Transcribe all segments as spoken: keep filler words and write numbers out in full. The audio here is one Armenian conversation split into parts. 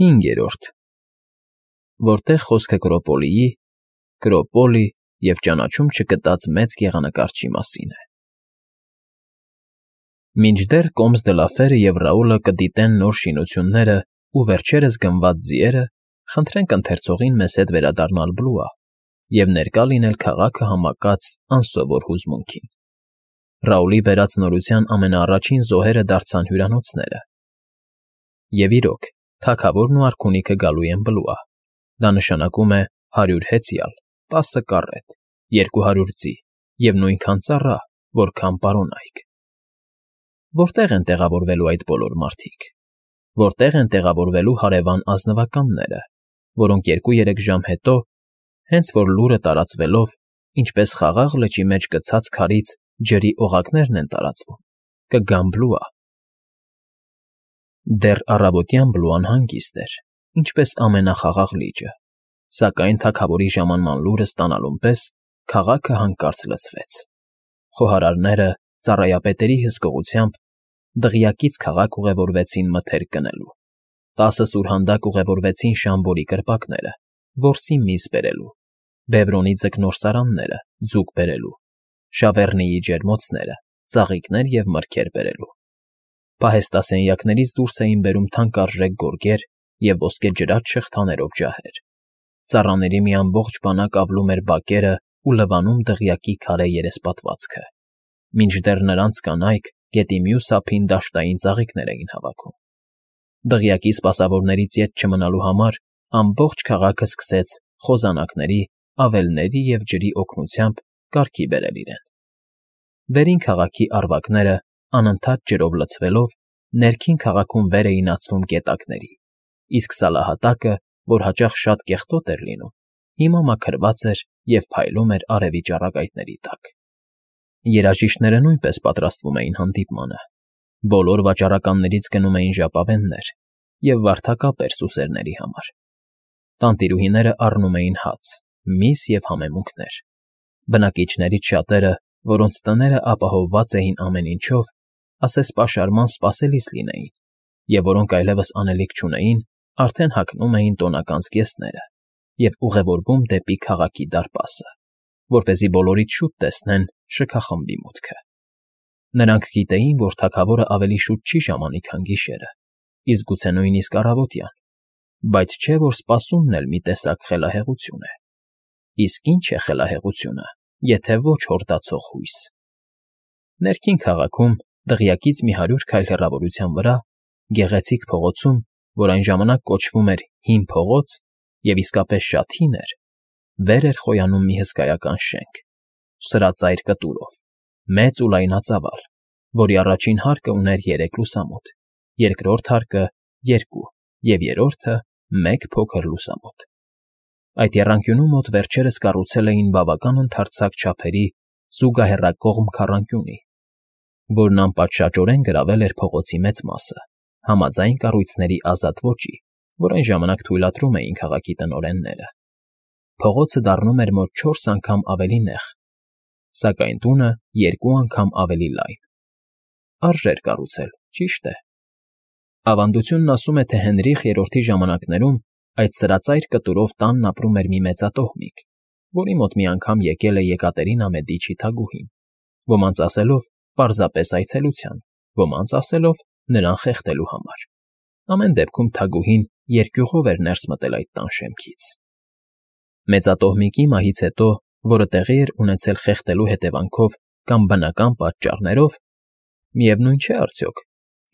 Հինգերորդ Որտեղ խոսքը Կրոպոլիի, Կրոպոլի և ճանաչում չգտած մեծ գեղանկարչի մասին է։ Մինչդեռ Կոմս դը Լաֆերը և Ռաուլը կդիտեն նոր շինություններն ու վերջերս գնված ձիերը, խնդրենք ընթերցողին մեզ հետ վերադառնալ Բլուա և ներկա լինել քաղաքը համակած անսովոր հուզմունքին։ Ռաուլի բերած նորության ամենաառաջին զոհերը դարձան հյուրանոցները։ Եվ իրոք, թագավորն ու արքունիքը գալու են Բլուա։ Դա նշանակում է հարյուր հեծյալ, տասը կառետ, երկու հարյուր ձի և նույնքան ծառա, որքան պարոնայք։ Որտե՞ղ են տեղավորվելու այդ բոլոր մարդիկ։ Որտե՞ղ են տեղավորվելու հարևան ազնվականները, որոնք երկու֊երեք ժամ հետո, հենց որ լուրը տարածվելով, ինչպես խաղաղ լճի մեջ գցած քարից ջրի օղակներն են տարածվում, կգան Բլուա։ Դեռ առավոտյան Բլուան հանգիստ էր, ինչպես ամենախաղաղ լիճը, սակայն թագավորի ժամանման լուրը ստանալուն պես քաղաքը հանկարծ լցվեց։ Խոհարարները, ծառայապետերի հսկողությամբ, դղյակից քաղաք ուղևորվեցին մթերք գնելու, տասը սուրհանդակ ուղևորվեցին Շամբորի կրպակները, որսի միս բերելու, Բևրոնի ձկնորսարանները, ձուկ բերելու, Շավեռնիի ջերմոցները, ծաղիկներ և մրգեր բերելու։ Պահեստասենյակներից դուրս էին բերում թանկարժեք գորգեր և ոսկեջրած շղթաներով ջահեր։ Ծառաների մի ամբողջ բանակ ավլում էր բակերն ու լվանում դղյակի քարե երեսպատվածքը, մինչդեռ նրանց կանայք գետի մյուս ափին դաշտային ծաղիկներ էին հավաքում։ Դղյակի սպասավորներից ետ չմնալու համար ամբողջ քաղաքը սկսեց խոզանակների, ավելների և ջրի օգնությամբ կարգի բերել իրեն։ Վերին քաղաքի առվակները, անընդհատ ջրով լցվելով, ներքին քաղաքում վեր էին ածվում գետակների, իսկ սալահատակը, որ հաճախ շատ կեղտոտ էր լինում, հիմա մաքրված էր և փայլում էր արևի ճառագայթների տակ։ Երաժիշտները նույնպես պատրաստվում էին հանդիպմանը։ Բոլոր վաճառականներից գնում էին ժապավեններ և վարդակապեր սուսերների համար։ Տանտիրուհիները առնում էին հաց, միս և համեմունքներ։ Բնակիչներից շատերը, որոնց տները ապահովված էին ամեն ինչով, ասես պաշարման սպասելիս լինեին, և որոնք այլևս անելիք չունեին, արդեն հագնում էին տոնական զգեստները և ուղևորվում դեպի քաղաքի դարպասը, որպեսզի բոլորից շուտ տեսնեն շքախմբի մուտքը։ Նրանք գիտեին, որ թագավորն ավելի շուտ չի ժամանի, քան գիշերը, իսկ գուցե նույնիսկ առավոտյան, բայց չէ՞ որ սպասումն էլ մի տեսակ խելահեղություն է։ Իսկ ի՞նչ է խելահեղությունը, եթե ոչ հորդացող հույս։ Ներքին քաղաքում, դղյակից մի հարյուր քայլ հեռավորության վրա, գեղեցիկ փողոցում, որ այն ժամանակ կոչվում էր Հին փողոց և իսկապես շատ հին էր, վեր էր խոյանում մի հսկայական շենք՝ սրածայր կտուրով, մեծ ու լայնածավալ, որի առաջին հարկը ուներ երեք լուսամուտ, երկրորդ հարկը՝ երկու և երրորդը՝ մեկ փոքր լուսամուտ։ Այդ եռանկյունու մոտ վերջերս կառուցել էին բավական ընդարձակ չափերի զուգահեռակողմ քառանկյունի, որն անպատշաճորեն գրավել էր փողոցի մեծ մասը, համաձայն կառույցների ազատ ոճի, որ այն ժամանակ թույլատրում էին քաղաքի տնօրենները։ Փողոցը դառնում էր մոտ չորս անգամ ավելի նեղ, սակայն տունը երկու անգամ ավելի լայն։ Արժեր կառուցել, ճիշտ է։ Ավանդությունն ասում է, թե Հենրիխ Երրորդի ժամանակներում այդ սրածայր կտուրով տանն ապրում էր մի մեծատոհմիկ, որի մոտ մի անգամ եկել է Եկատերինա Մեդիչի թագուհին, ոմանց ասելով պարզապես այցելության, ոմանց ասելով նրան խեղդելու համար։ Ամեն դեպքում թագուհին երկյուղով էր ներս մտել այդ տան շեմքից։ Մեծատոհմիկի մահից հետո, որը տեղի էր ունեցել խեղդելու հետևանքով կամ բնական պատճառներով, միևնույն չէ արդյոք,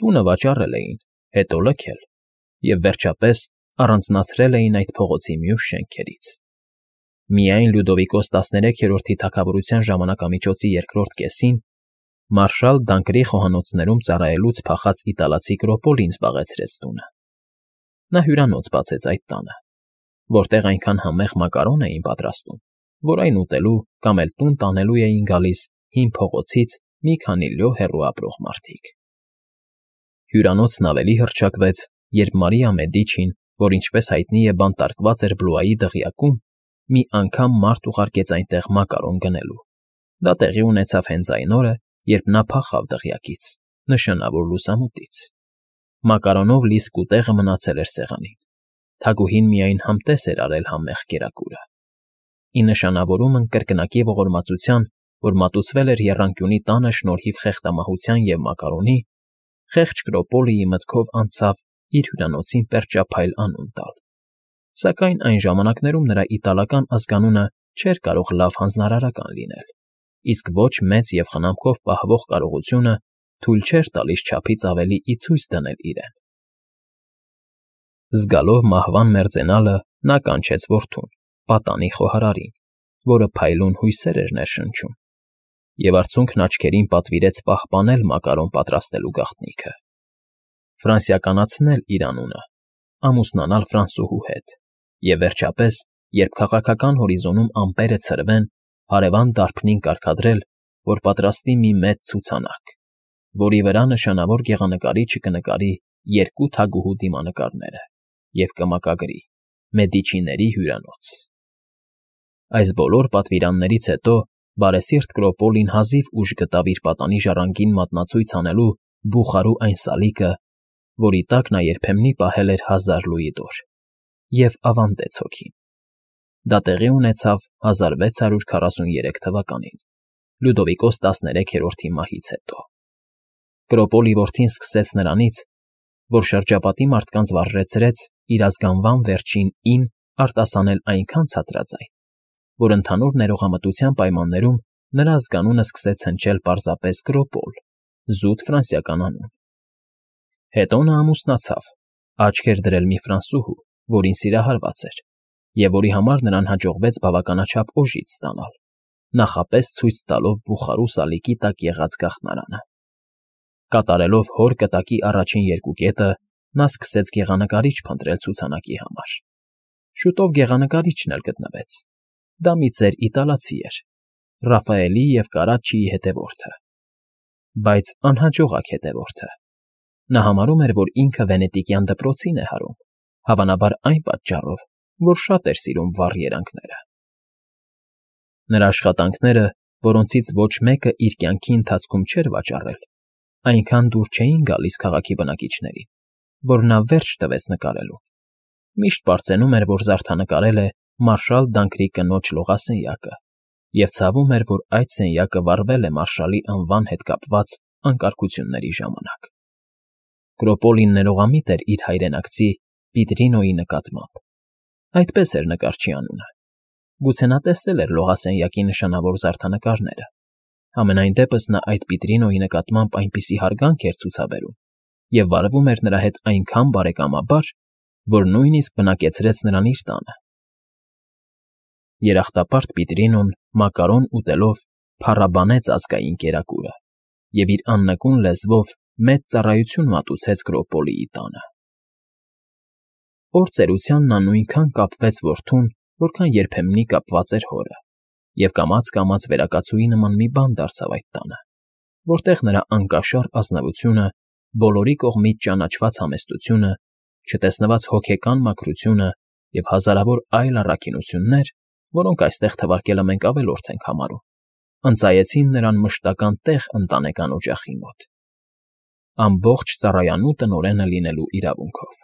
տունը վաճառել էին, հետո լքել և, վերջապես, առանձնացրել էին այդ փողոցի մյուս շենքերից։ Միայն Լյուդովիկոս տասներեքերորդի թագավորության ժամանակամիջոցի երկրորդ կեսին մարշալ Դանկրի խոհանոցներում ծառայելուց փախած իտալացի Կրոպոլին զբաղեցրեց տունը։ Նա հյուրանոց բացեց այդ տանը, որտեղ այնքան համեղ մակարոն էին պատրաստում, որ այն ուտելու կամ էլ տուն տանելու էին գալիս Հին փողոցից մի քանի լյո հեռու ապրող մարդիկ։ Հյուրանոցն ավելի հռչակվեց, երբ Մարիա Մեդիչին, որ ինչպես հայտնի է բանտարկված էր Բլուայի դղյակում, մի անգամ մարդ ուղարկեց այնտեղ մակարոն գնելու։ Դա տեղի ունեցավ հենց այն օրը, երբ նա փախավ դղյակից, նշանավոր լուսամուտից։ Մակարոնով լի սկուտեղը մնացել էր սեղանին։ Թագուհին միայն համտես էր արել համեղ կերակուրը, ի նշանավորումն կրկնակի ողորմածության, որ մատուցվել էր եռանկյունի տանը շնորհիվ խեղդամահության և մակարոնի, խեղճ Կրոպոլիի մտքով անցավ իր հյուրանոցին պերճափայլ անուն տալ, սակայն այն ժամանակներում նրա իտալական ազգանունը չէր կարող լավ հանձնարարական լինել, իսկ ոչ մեծ և խնամքով պահվող կարողությունը թույլ չէր տալիս չափից ավելի ի ցույց դնել իրեն։ Զգալով մահվան մերձենալը՝ նա կանչեց որդուն՝ պատանի խոհարարին, որը փայլուն հույսեր էր ներշնչում, և արցունքն աչքերին պատվիրեց պահպանել մակարոն պատրաստելու գաղտնիքը, ֆրանսիականացնել իր անունը, ամուսնանալ ֆրանսուհու հետ և, վերջապես, երբ քաղաքական հորիզոնում ամպերը ցրվեն, հարևան դարբնին կարգադրել, որ պատրաստի մի մեծ ցուցանակ, որի վրա նշանավոր գեղանկարիչը կնկարի երկու թագուհու դիմանկարները և կմակագրի «Մեդիչիների հյուրանոց»։ Այս բոլոր պատվիրաններից հետո բարեսիրտ Կրոպոլին հազիվ ուժ գտավ իր պատանի ժառանգին մատնացույց անելու բուխարու այն սալիկը, որի տակ նա երբեմնի պահել էր հազար լուիդոր, և ավանդեց հոգին։ Դա տեղի ունեցավ հազար վեց հարյուր քառասուներեք թվականին, Լյուդովիկոս տասներեքերորդի մահից հետո։ Կրոպոլի որդին սկսեց նրանից, որ շրջապատի մարդկանց վարժեցրեց իր ազգանվան վերջին «ին» արտասանել այնքան ցածրաձայն, որ ընդհանուր ներողամտության պայմաններում նրա ազգանունը սկսեց հնչել պարզապես Կրոպոլ, զուտ ֆրանսիական անուն։ Հետո նա ամուսնացավ, աչք էր դրել մի ֆրանսուհու, որին սիրահարված էր, և որի համար նրան հաջողվեց բավականաչափ օժիտ ստանալ, նախապես ցույց տալով բուխարու սալիկի տակ եղած գաղտնարանը։ Կատարելով հոր կտակի առաջին երկու կետը, նա սկսեց գեղանկարիչ փնտրել ցուցանակի համար։ Շուտով գեղանկարիչն էլ գտնվեց։ Դա մի ծեր իտալացի էր, Ռաֆաելի և Կարաչիի հետևորդը, բայց անհաջողակ հետևորդը։ Նա համարում էր, որ ինքը վենետիկյան դպրոցին է հարում, հավանաբար այն պատճառով, որ շատ էր սիրում վառ երանգները։ Նրա աշխատանքները, որոնցից ոչ մեկը իր կյանքի ընթացքում չէր վաճառել, այնքան դուր չէին գալիս քաղաքի բնակիչներին, որ նա վերջ տվեց նկարելուն։ Միշտ պարծենում էր, որ զարդանկարել է մարշալ Դանկրի կնոջ լողասենյակը, և ցավում էր, որ այդ սենյակը վառվել է մարշալի անվան հետ կապված անկարգությունների ժամանակ։ Կրոպոլին ներողամիտ էր իր հայրենակցի Պիտրինոյի նկատմամբ։ Այդպես էր նկարչի անունը։ Գուցե նա տեսել էր լողասենյակի նշանավոր զարդանկարները, համենայն դեպս նա այդ Պիտրինոյի նկատմամբ այնպիսի հարգանք էր ցուցաբերում և վարվում էր նրա հետ այնքան բարեկամաբար, որ նույնիսկ բնակեցրեց նրան իր տանը։ Երախտապարտ Պիտրինոն մակարոն ուտելով փառաբանեց ազգային կերակուրը և իր աննկուն լեզվով մեծ ծառայություն մատուցեց Կրոպոլիի տանը։ Օր ծերության նա նույնքան կապվեց որդուն, որքան երբեմնի կապված էր հորը, և կամաց֊կամաց վերակացուի նման մի բան դարձավ այդ տանը, որտեղ նրա անկաշառ ազնվությունը, բոլորի կողմից ճանաչված համեստությունը, չտեսնված հոգեկան մաքրությունը և հազարավոր այլ առաքինություններ, որոնք այստեղ թվարկելը մենք ավելորդ ենք համարում, ընծայեցին նրան մշտական տեղ ընտանեկան օջախի մոտ, ամբողջ ծառայանու տնօրենը լինելու իրավունքով։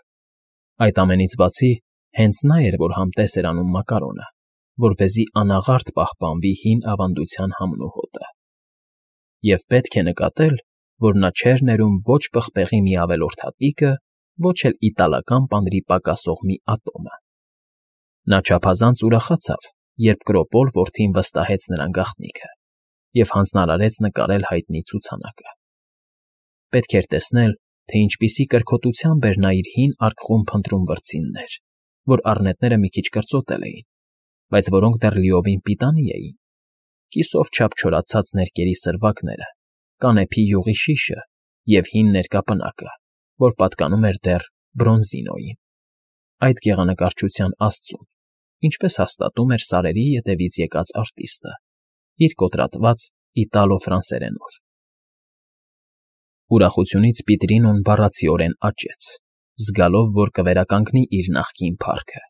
Այդ ամենից բացի, հենց նա էր, որ համտես էր անում մակարոնը, որպեսզի անաղարտ պահպանվի հին ավանդության համն ու հոտը։ Եվ պետք է նկատել, որ նա չէր ներում ոչ պղպեղի մի ավելորդ հատիկը, ոչ էլ իտալական պանրի պակասող մի ատոմը։ Նա չափազանց ուրախացավ, երբ Կրոպոլ որդին վստահեց նրան գաղտնիքը և հանձնարարեց նկարել հայտնի ցուցանակը։ Պետք էր տեսնել, թե ինչպիսի կրքոտությամբ էր նա իր հին արկղում փնտրում վրձիններ, որ առնետները մի քիչ կրծոտել էին, բայց որոնք դեռ լիովին պիտանի էին, կիսով չափ չորացած ներկերի սրվակները, կանեփի յուղի շիշը և հին ներկապնակը, որ պատկանում էր դեռ Բրոնզինոյին, այդ գեղանկարչության աստծուն, ինչպես հաստատում էր սարերի ետևից եկած արտիստը՝ իր կոտրատված իտալո֊ֆրանսերենով։ Ուրախությունից Պիտրինոն բառացիորեն աճեց, զգալով, որ կվերականգնի իր նախկին փառքը։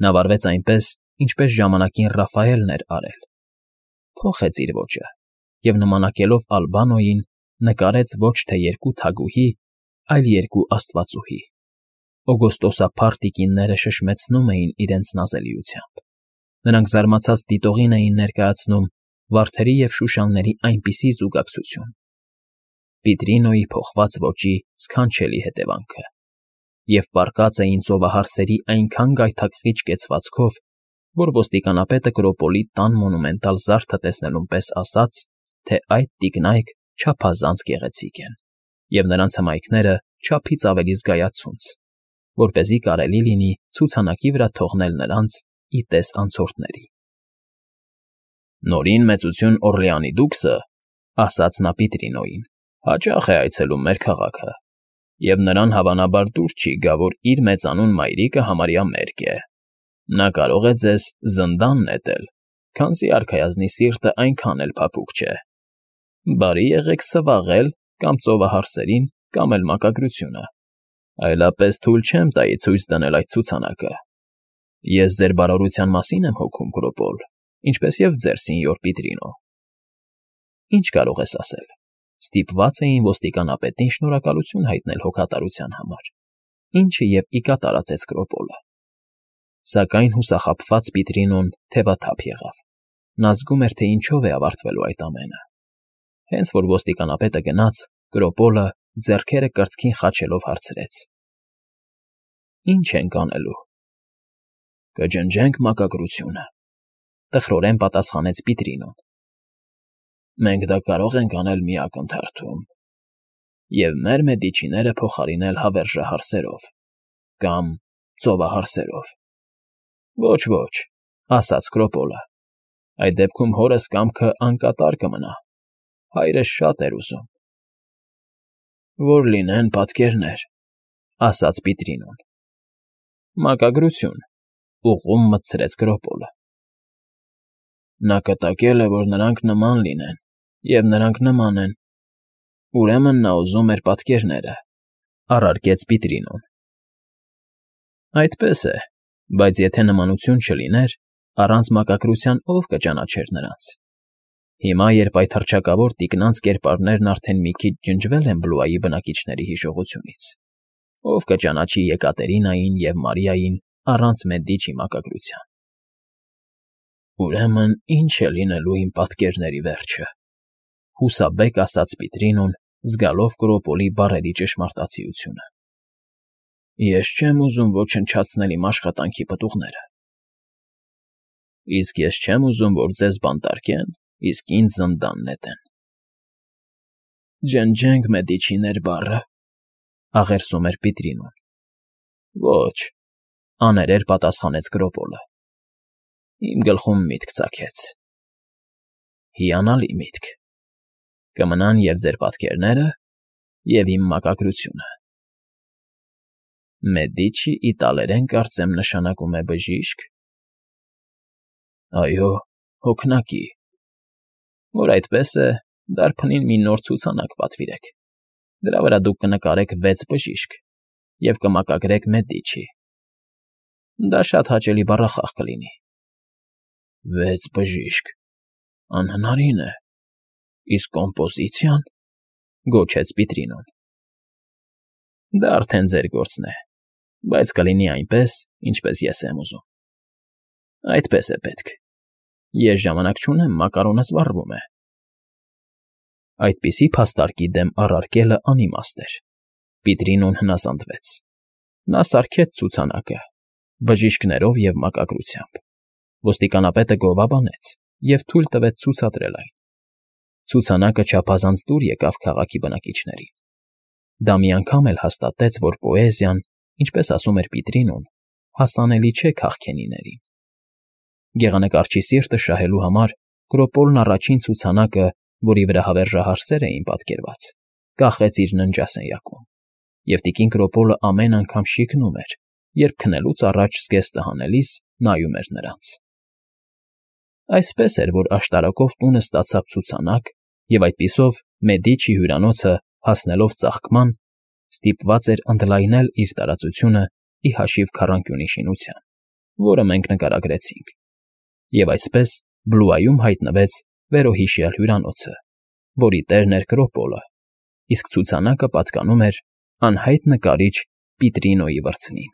Նա վարվեց այնպես, ինչպես ժամանակին Ռաֆայելն էր արել, փոխեց իր ոճը և նմանակելով Ալբանոյին նկարեց ոչ թե երկու թագուհի, այլ երկու աստվածուհի։ օգոստոսափառ տիկինները շշմեցնում էին իրենց նազելիությամբ, նրանք զարմացած դիտողին էին ներկայացնում վարդերի և շուշանների այնպիսի զուգակցություն, Պիտրինոյի փոխված ոճի սքանչելի հետևանքը, և պառկած էին ծովահարսերի այնքան գայթակղիչ կեցվածքով, որ ոստիկանապետը Կրոպոլի տան մոնումենտալ զարդը տեսնելուն պես ասաց, թե այդ տիկնայք չափազանց գեղեցիկ են, և նրանց հմայքները չափից ավելի զգայացունց, որպեսզի կարելի լինի ցուցանակի վրա թողնել նրանց ի տես անցորդների։ «Նորին մեծություն Օռլեանի դուքսը,֊ ասաց նա Պիտրինոյին,֊ հաճախ է այցելում մեր քաղաքը, և նրան հավանաբար դուր չի գա, որ իր մեծանուն մայրիկը համարյա մերկ է. նա կարող է ձեզ զնդան նետել, քանզի արքայազնի սիրտը այնքան էլ փափուկ չէ։ Բարի եղեք սվաղել կամ ծովահարսերին, կամ էլ մակագրությունը, այլապես թույլ չեմ տայի ցույց դնել այդ ցուցանակը։ Ես ձեր բարօրության մասին եմ հոգում, Կրոպոլ, ինչպես և ձեր, սենյոր Պիտրինո։ Ինչ կարող ես ասել։ Ստիպված էին ոստիկանապետին շնորհակալություն հայտնել հոգատարության համար, ինչը և ի կատար ածեց Կրոպոլը։ Սակայն հուսախաբված Պիտրինոն թևաթափ եղավ. նա զգում էր, թե ինչով է ավարտվելու այդ ամենը։ Հենց որ ոստիկանապետը գնաց, Կրոպոլը, ձեռքերը կրծքին խաչելով, հարցրեց. «Ի՞նչ ենք անելու»։ «Կջնջենք մակագրությունը», տխրորեն պատասխանեց Պիտրինոն։ «Մենք դա կարող ենք անել մի ակնթարթում և մեր մեդիչիները փոխարինել հավերժահարսերով կամ ծովահարսերով»։ «Ոչ, ոչ,֊ ասաց Կրոպոլը,֊ այդ դեպքում հորս կամքը անկատար կմնա, հայրս շատ էր ուզում»։ «Որ լինեն պատկերներ,֊ ասաց Պիտրինոն։ «Մակագրություն,֊ ուղղում մտցրեց Կրոպոլը։ Նա կտակել է, որ նրանք նման լինեն, և նրանք նման են, ուրեմն նա ուզում էր պատկերները,֊ առարկեց Պիտրինոն։ «Այդպես է, բայց եթե նմանություն չլիներ, առանց մակագրության ո՞վ կճանաչեր նրանց։ Հիմա, երբ այդ հռչակավոր տիկնանց կերպարներն արդեն մի քիչ ջնջվել են Բլուայի բնակիչների հիշողությունից, ո՞վ կճանաչի Եկատերինային և Մարիային առանց Մեդիչի մակագրության։ Ուրեմն ի՞նչ է լինելու իմ պատկերների վերջը,֊ հուսաբեկ ասաց Պիտրինոն, զգալով Կրոպոլի բառերի ճշմարտացիությունը։ «Ես չեմ ուզում ոչնչացնել իմ աշխատանքի պտուղները»։ «Իսկ ես չեմ ուզում, որ ձեզ բանտարկեն, իսկ ինձ զնդան նետեն»։ «Ջնջենք Մեդիչիներ բառը,֊ աղերսում էր Պիտրինոն։ «Ոչ,֊ աներեր պատասխանեց Կրոպոլը։ Իմ գլխում միտք ծագեց։ Հիանալի միտք. կմնան և ձեր պատկերները, և իմ մակագրությունը։ Մեդիչի իտալերեն կարծեմ նշանակում է բժիշկ։ Այո, հոգնակի։ Որ այդպես է, դարբնին մի նոր ցուցանակ պատվիրեք, դրա վրա դուք կնկարեք վեց բժիշկ և կմակագրեք Մեդիչի։ Դա շատ հաճելի բառախաղ կլինի։ Վեց բժիշկ… անհնարին է։ Իսկ կոմպոզիցիա՞ն,֊ գոչեց Պիտրինոն։ Դա արդեն ձեր գործն է, բայց կլինի այնպես, ինչպես ես եմ ուզում։ Այդպես է պետք։ Ես ժամանակ չունեմ, մակարոնս վառվում է։ Այդպիսի փաստարկի դեմ առարկելը անիմաստ էր։ Պիտրինոն հնազանդվեց։ Նա սարքեց ցուցանակը, բժիշկներով և մակագրությամբ։ Ոստիկանապետը գովաբանեց և թույլ տվեց ցուցադրել այն։ Ցուցանակը չափազանց դուր եկավ քաղաքի բնակիչներին։ Դա մի անգամ էլ հաստատեց, որ պոեզիան, ինչպես ասում էր Պիտրինոն, հասանելի չէ քաղքենիներին։ Գեղանկարչի սիրտը շահելու համար Կրոպոլն առաջին ցուցանակը, որի վրա հավերժահարսեր էին պատկերված, կախեց իր ննջասենյակում, և տիկին Կրոպոլը ամեն անգամ շիկնում էր, երբ քնելուց առաջ զգեստը հանելիս նայում էր նրանց։ Այսպես էր, որ աշտարակով տունը ստացավ ցուցանակ, և այդպիսով Մեդիչի հյուրանոցը, հասնելով ծաղկման, ստիպված էր ընդլայնել իր տարածությունը ի հաշիվ քառանկյունի շինության, որը մենք նկարագրեցինք, և այսպես Բլուայում հայտնվեց վերոհիշյալ հյուրանոցը, որի տերն էր Կրոպոլը, իսկ ցուցանակը պատկանում էր անհայտ նկարիչ Պիտրինոյի վրձնին։